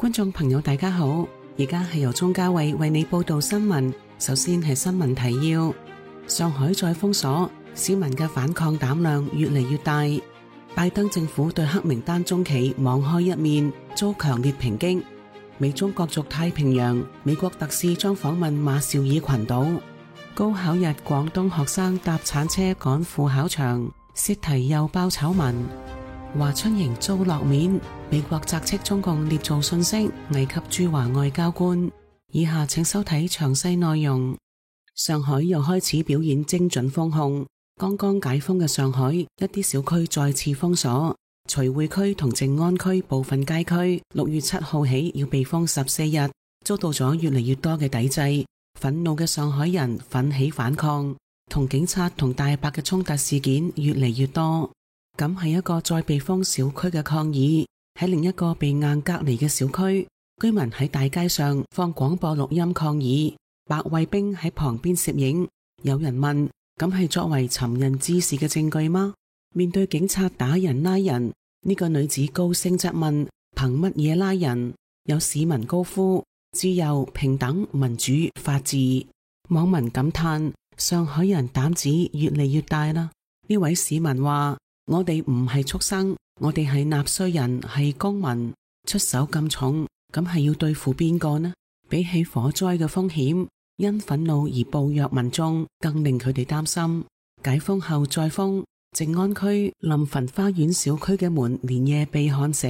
觀眾朋友大家好，而家係由鍾嘉慧為你報道新聞。首先係新聞提要：上海再封鎖，市民嘅反抗膽量越嚟越大。拜登政府對黑名單中企網開一面，遭強烈抨擊。美中角逐太平洋，美國特使將訪問馬紹爾群島。高考日，廣東學生搭鏟車趕赴考場，洩題又爆醜聞。華春瑩遭落面，美國責斥中共捏造信息，危及駐華外交官。以下請收睇詳細內容。上海又開始表演精準封控，剛剛解封嘅上海，一啲小區再次封鎖。徐匯區同靜安區部分街區6月7號起要被封14日，遭到咗越嚟越多嘅抵制。憤怒嘅上海人奮起反抗，同警察同大白嘅衝突事件越嚟越多。咁係一個再被封小區嘅抗議，喺另一個被硬隔離嘅小區，居民喺大街上放廣播錄音抗議，白衛兵喺旁邊攝影。有人問：咁係作為尋人滋事嘅證據嗎？面對警察打人拉人，呢個女子高聲質問：憑乜嘢拉人？有市民高呼：自由、平等、民主、法治。網民感嘆：上海人膽子越嚟越大啦。呢位市民話：我哋唔係畜生，我哋係納稅人，係公民。出手咁重，咁係要對付邊個呢？比起火災嘅風險，因憤怒而暴虐民眾更令佢哋擔心。解封後再封，靜安區臨汾花園小區嘅門連夜被焊死，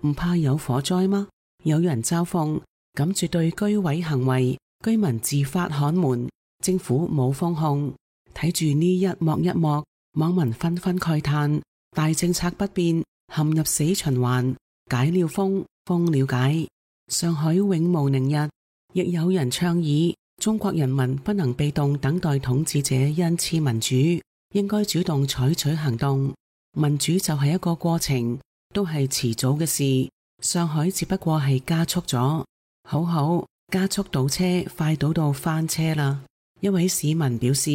唔怕有火災嗎？有人嘲諷：咁絕對居委行為，居民自發焊門，政府冇封控。睇住呢一幕一幕，網民紛紛慨嘆：大政策不變，陷入死循環，解了封，封了解。上海永無寧日。亦有人倡議，中國人民不能被動等待統治者恩賜民主，應該主動採取行動。民主就係一個過程，都係遲早嘅事。上海只不過係加速咗，好加速倒車，快倒到翻車啦。一位市民表示，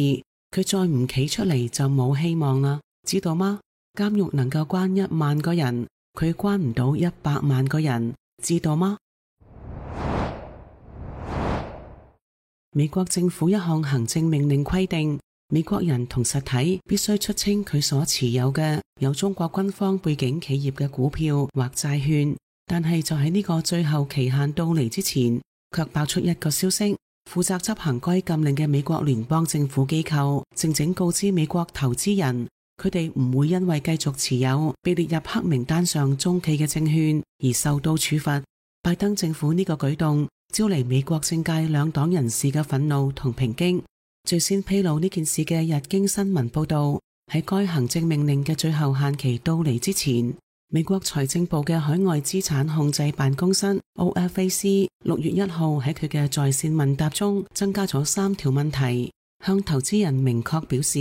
佢再唔企出嚟就冇希望啦，知道嗎？監獄能夠關1萬個人，佢關唔到100萬個人，知道嗎？美國政府一項行政命令規定，美國人同實體必須出清佢所持有嘅有中國軍方背景企業嘅股票或債券，但係就喺呢個最後期限到嚟之前，卻爆出一個消息，負責執行該禁令嘅美國聯邦政府機構靜靜告知美國投資人，佢哋唔會因為繼續持有被列入黑名單上中企嘅證券而受到處罰。拜登政府呢個舉動招嚟美國政界兩黨人士嘅憤怒同抨擊。最先披露呢件事嘅日經新聞報道，喺該行政命令嘅最後限期到嚟之前，美國財政部嘅海外資產控制辦公室 OFAC 6月1號喺佢嘅在線問答中增加咗3條問題，向投資人明確表示，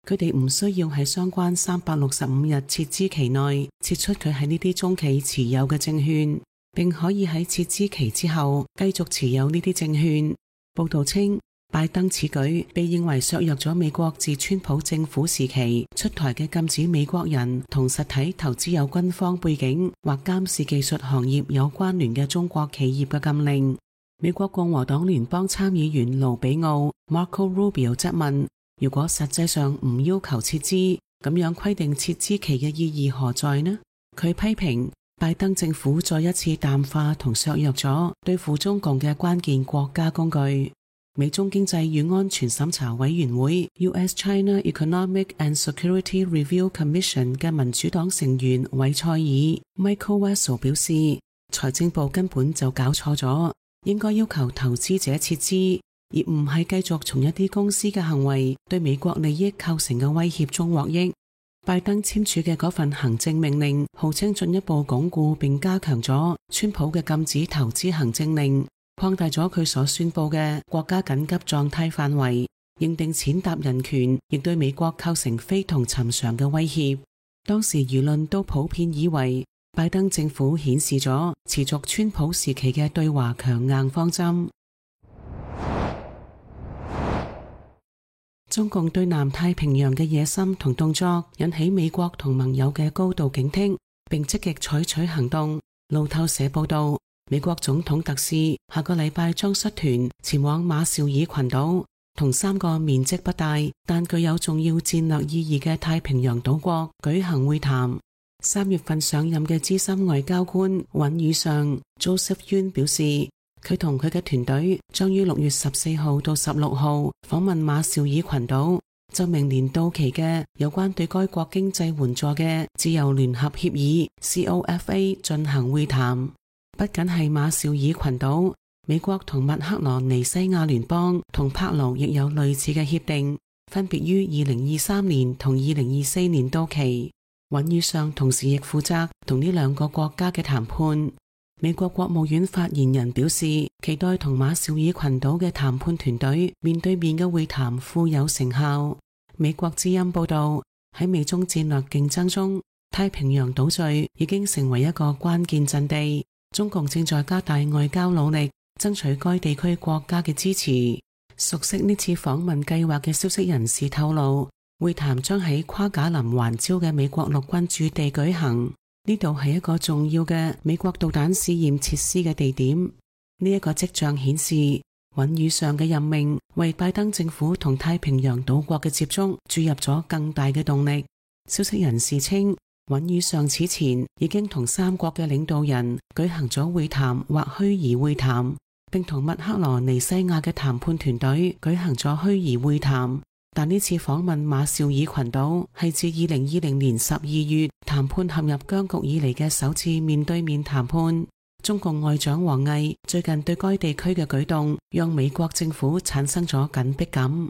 佢哋唔需要喺相關365日撤資期內撤出佢喺呢啲中企持有嘅證券，並可以喺撤資期之後繼續持有呢啲證券。報道稱，拜登此舉被認為削弱咗美國自川普政府時期出台嘅禁止美國人同實體投資有軍方背景或監視技術行業有關聯嘅中國企業嘅禁令。美國共和黨聯邦參議員盧比奧 Marco Rubio 質問，如果實際上唔要求撤資，咁樣規定撤資期嘅意義何在呢？佢批評拜登政府再一次淡化同削弱咗對付中共嘅關鍵國家工具。美中經濟與安全審查委員會 US-China Economic and Security Review Commission 嘅民主黨成員韋塞爾 Michael Wessel 表示，財政部根本就搞錯咗，應該要求投資者撤資，而唔係繼續從一啲公司嘅行為對美國利益構成嘅威脅中獲益。拜登簽署嘅嗰份行政命令，號稱進一步鞏固並加強咗川普嘅禁止投資行政令，擴大咗佢所宣佈嘅國家緊急狀態範圍，認定踐踏人權，亦對美國構成非同尋常嘅威脅。當時輿論都普遍以為，拜登政府顯示咗持續川普時期嘅對華強硬方針。中共對南太平洋嘅野心同動作引起美國同盟友嘅高度警惕，並積極採取行動。路透社報道，美國總統特使下個禮拜將率團前往馬紹爾群島，同3個面積不大但具有重要戰略意義嘅太平洋島國舉行會談。3月份上任嘅資深外交官尹宇尚 Joseph Yun 表示，佢同佢嘅團隊將於6月14號到16號訪問馬紹爾群島，就明年到期嘅有關對該國經濟援助嘅自由聯合協議 COFA 進行會談。不僅係馬紹爾群島，美國同密克羅尼西亞聯邦同帕勞亦有類似嘅協定，分別於2023年同2024年到期。尹宇尚同時亦負責同呢2個國家嘅談判。美國國務院發言人表示，期待同馬紹爾群島嘅談判團隊面對面嘅會談富有成效。美國之音報道，喺美中戰略競爭中，太平洋島嶼已經成為一個關鍵陣地。中共正在加大外交努力，爭取該地區國家嘅支持。熟悉呢次訪問計劃嘅消息人士透露，會談將喺夸賈林環礁嘅美國陸軍駐地舉行，呢度係一個重要嘅美國導彈試驗設施嘅地點。呢一個跡象顯示，尹宇尚嘅任命為拜登政府同太平洋島國嘅接觸注入咗更大嘅動力。消息人士稱，尹宇尚此前已經同3國嘅領導人舉行咗會談或虛擬會談，並同密克羅尼西亞嘅談判團隊舉行咗虛擬會談。但呢次訪問馬紹爾群島係自2020年12月談判陷入僵局以嚟嘅首次面對面談判。中共外長王毅最近對該地區嘅舉動，讓美國政府產生咗緊迫感。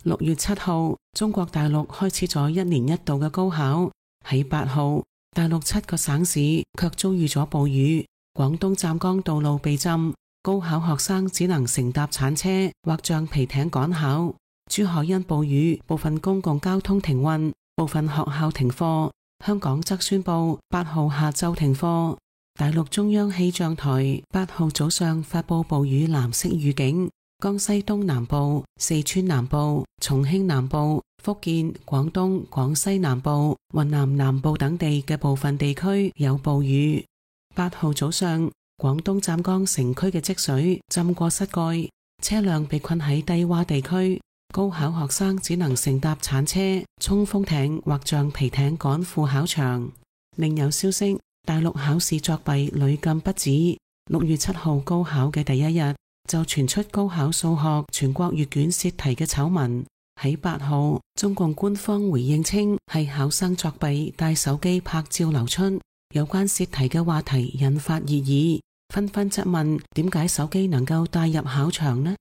6月7號，中國大陸開始咗1年1度嘅高考。喺8號，大陸7個省市卻遭遇咗暴雨，廣東湛江道路被浸。高考學生只能乘搭鏟車或橡皮艇趕考。珠海因暴雨，部分公共交通停運，部分學校停課。香港則宣布8號下晝停課。大陸中央氣象台8號早上發布暴雨藍色預警，江西東南部、四川南部、重慶南部、福建、廣東、廣西南部、雲南南部等地嘅部分地區有暴雨。8號早上，廣東湛江城區嘅積水浸過膝蓋，車輛被困喺低洼地區，高考學生只能乘搭鏟車、衝鋒艇或橡皮艇趕赴考場。另有消息，大陸考試作弊屢禁不止。6月7號高考嘅第一日，就傳出高考數學全國閱卷洩題嘅醜聞。喺8號，中共官方回應稱係考生作弊帶手機拍照流出，有關洩題嘅話題引發熱議。紛紛質問點解手機能夠帶入考場呢？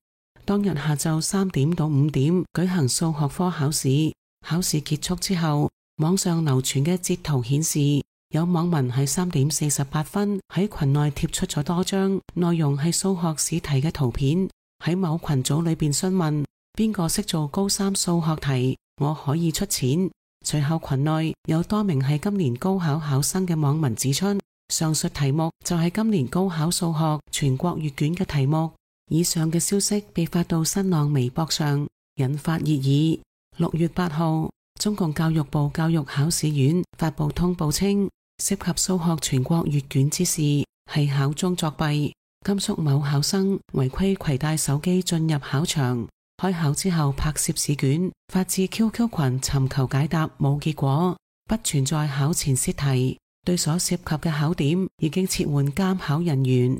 當日下晝3點到5點舉行數學科考試，考試結束之後，網上流傳嘅截圖顯示，有網民喺3點48分喺群內貼出咗多張內容係數學試題嘅圖片，喺某群組裏邊詢問邊個識做高3數學題，我可以出錢。隨後群內有多名係今年高考考生嘅網民指出，上述題目就係今年高考數學全國閱卷嘅題目。以上嘅消息被發到新浪微博上，引發熱議。6月8號，中共教育部教育考試院發布通報稱，涉及數學全國閱卷之事係考中作弊。甘肅某考生違規攜帶手機進入考場，開考之後拍攝試卷，發至 QQ 群尋求解答，冇結果，不存在考前洩題。對所涉及嘅考點已經撤換監考人員。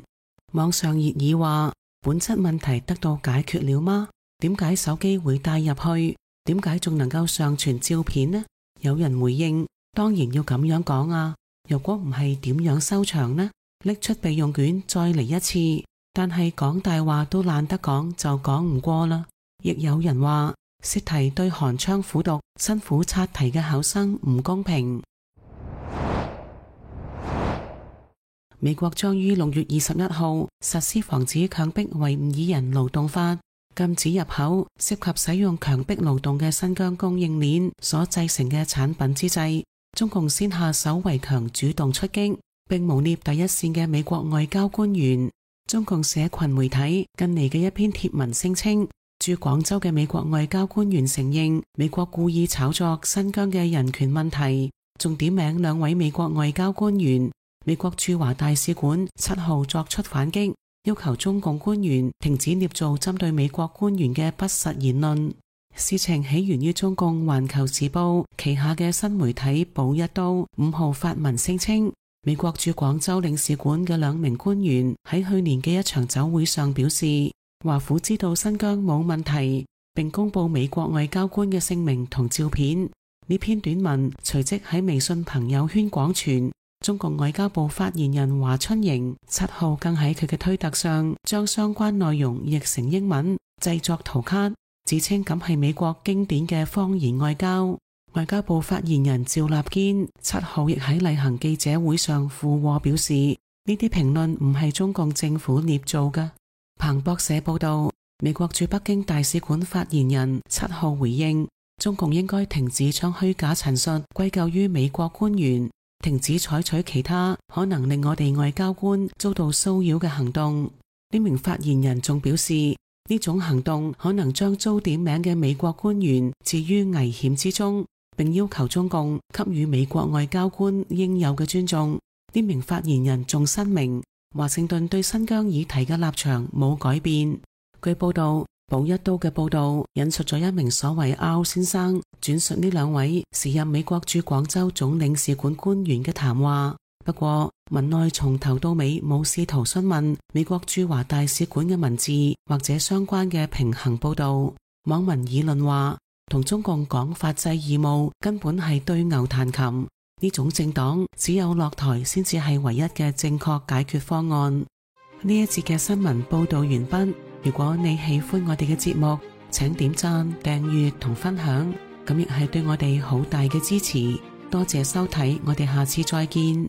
網上熱議話，本質問題得到解決了嗎？點解手機會帶入去？點解仲能夠上傳照片呢？有人回應，當然要咁樣講啊，如果唔係點樣收場呢？拎出備用卷再嚟一次，但係講大話都懶得講就講唔過啦。亦有人話，洩題對寒窗苦讀辛苦刷題嘅考生唔公平。美國將於6月21號實施防止強迫維吾爾人勞動法，禁止入口涉及使用強迫勞動嘅新疆供應鏈所製成嘅產品之際，中共先下手為強，主動出擊，並誣衊第一線嘅美國外交官員。中共社群媒體近嚟嘅一篇貼文聲稱，駐廣州嘅美國外交官員承認美國故意炒作新疆嘅人權問題，仲點名兩位美國外交官員。美國駐華大使館7號作出反擊，要求中共官員停止捏造針對美國官員嘅不實言論。事情起源於中共環球時報旗下嘅新媒體保一刀5號發文聲稱，美國駐廣州領事館嘅2名官員喺去年嘅一場酒會上表示，華府知道新疆冇問題，並公布美國外交官嘅姓名同照片。呢篇短文隨即喺微信朋友圈廣傳。中國外交部發言人華春瑩7號更喺佢嘅推特上將相關內容譯成英文，製作圖卡，自稱咁係美國經典嘅謊言外交。外交部發言人趙立堅7號亦喺例行記者會上附和表示，呢啲評論唔係中共政府捏造嘅。彭博社報道，美國駐北京大使館發言人7號回應，中共應該停止將虛假陳述歸咎於美國官員，停止採取其他可能令我哋外交官遭到騷擾嘅行動。呢名發言人仲表示，呢種行動可能將遭點名嘅美國官員置於危險之中，並要求中共給予美國外交官應有嘅尊重。呢名發言人仲申明，華盛頓對新疆議題嘅立場冇改變。據報道，保一刀嘅報道引述咗一名所謂 R 先生轉述呢2位時任美國駐廣州總領事館官員嘅談話，不過文內從頭到尾冇試圖詢問美國駐華大使館嘅文字或者相關嘅平衡報道。網民議論話，同中共講法制義務根本係對牛彈琴，呢種政黨只有落台先至係唯一嘅正確解決方案。呢一節嘅新聞報道完畢。如果你喜歡我哋嘅節目，請點讚、訂閱同分享，咁亦係對我哋好大嘅支持。多謝收睇，我哋下次再見。